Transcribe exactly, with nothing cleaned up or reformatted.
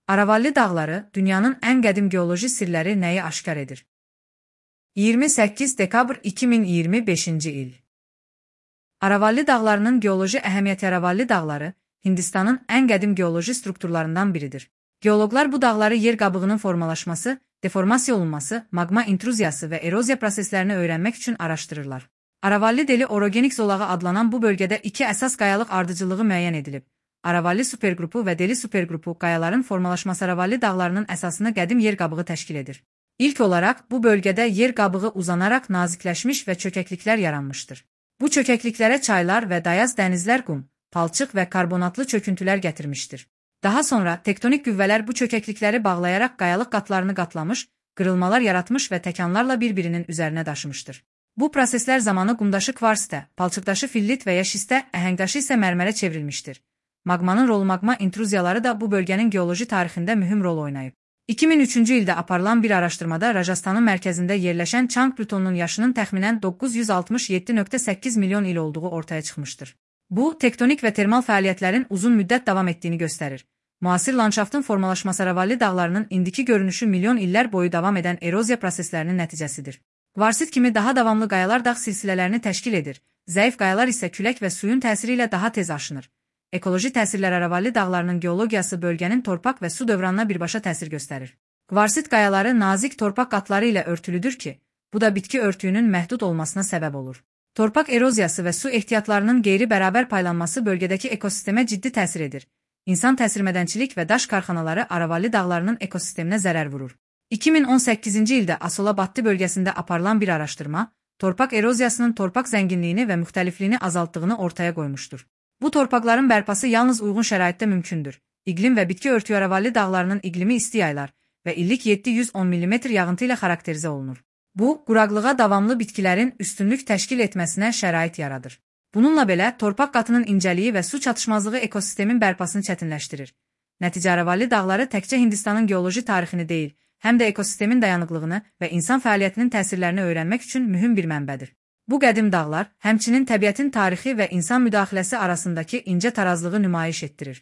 Aravalli dağları, dünyanın ən qədim geoloji sirləri nəyi aşkar edir? iyirmi səkkiz dekabr iki min iyirmi beşinci il. Aravalli dağlarının geoloji əhəmiyyəti. Aravalli dağları, Hindistanın ən qədim geoloji strukturlarından biridir. Geoloqlar bu dağları yer qabığının formalaşması, deformasiya olunması, magma intruziyası və eroziya proseslərini öyrənmək üçün araşdırırlar. Aravalli deli orogenik zolağı adlanan bu bölgədə iki əsas qayalıq ardıcıllığı müəyyən edilib. Aravalli superqrupu və deli superqrupu qayaların formalaşması Aravalli dağlarının əsasını qədim yer qabığı təşkil edir. İlk olaraq bu bölgədə yer qabığı uzanaraq nazikləşmiş və çökəkliklər yaranmışdır. Bu çökəkliklərə çaylar və dayaz dənizlər qum, palçıq və karbonatlı çöküntülər gətirmişdir. Daha sonra tektonik qüvvələr bu çökəklikləri bağlayaraq qayalıq qatlarını qatlamış, qırılmalar yaratmış və təkanlarla bir-birinin üzərinə daşımışdır. Bu proseslər zamanı qumdaşı kvarsitə, palçıqdaşı fillit və ya şistə, əhəngdaşı isə mərmərə çevrilmişdir. Magmanın rolu magma intruziyaları da bu bölgənin geoloji tarixində mühüm rol oynayıb. iki min üçüncü ildə aparılan bir araşdırmada Rajasthanın mərkəzində yerləşən Chang plutonunun yaşının təxminən doqquz yüz altmış yeddi nöqtə səkkiz milyon il olduğu ortaya çıxmışdır. Bu, tektonik və termal fəaliyyətlərin uzun müddət davam etdiyini göstərir. Müasir landşaftın formalaşması Aravalli dağlarının indiki görünüşü milyon illər boyu davam edən eroziya proseslərinin nəticəsidir. Kvarsit kimi daha davamlı qayalar dağ silsilələrini təşkil edir, zəif qayalar isə külək və suyun təsiri ilə daha tez aşınır. Ekoloji təsirlər Aravalli dağlarının geologiyası bölgənin torpaq və su dövranına birbaşa təsir göstərir. Kvarsit qayaları nazik torpaq qatları ilə örtülüdür ki, bu da bitki örtüyünün məhdud olmasına səbəb olur. Torpaq eroziyası və su ehtiyatlarının qeyri-bərabər paylanması bölgədəki ekosistemə ciddi təsir edir. İnsan təsirmədənçilik və daş karxanaları Aravalli dağlarının ekosisteminə zərər vurur. iki min on səkkizinci ildə Asolabaddi bölgəsində aparılan bir araşdırma, torpaq eroziyasının torpaq zənginliyini və müxtəlifliyini azaltdığını ortaya qoymuşdur. Bu torpaqların bərpası yalnız uyğun şəraitdə mümkündür. İqlim və bitki örtüyü Aravalli dağlarının iqlimi isti yaylar və illik yeddi yüz on millimetr yağıntı ilə xarakterizə olunur. Bu, quraqlığa davamlı bitkilərin üstünlük təşkil etməsinə şərait yaradır. Bununla belə, torpaq qatının incəliyi və su çatışmazlığı ekosistemin bərpasını çətinləşdirir. Nəticə Aravalli dağları təkcə Hindistanın geoloji tarixini deyil, həm də ekosistemin dayanıqlığını və insan fəaliyyətinin təsirlərini öyrənmək üçün mühüm bir mənbədir. Bu qədim dağlar, həmçinin təbiətin tarixi və insan müdaxiləsi arasındakı incə tarazlığı nümayiş etdirir.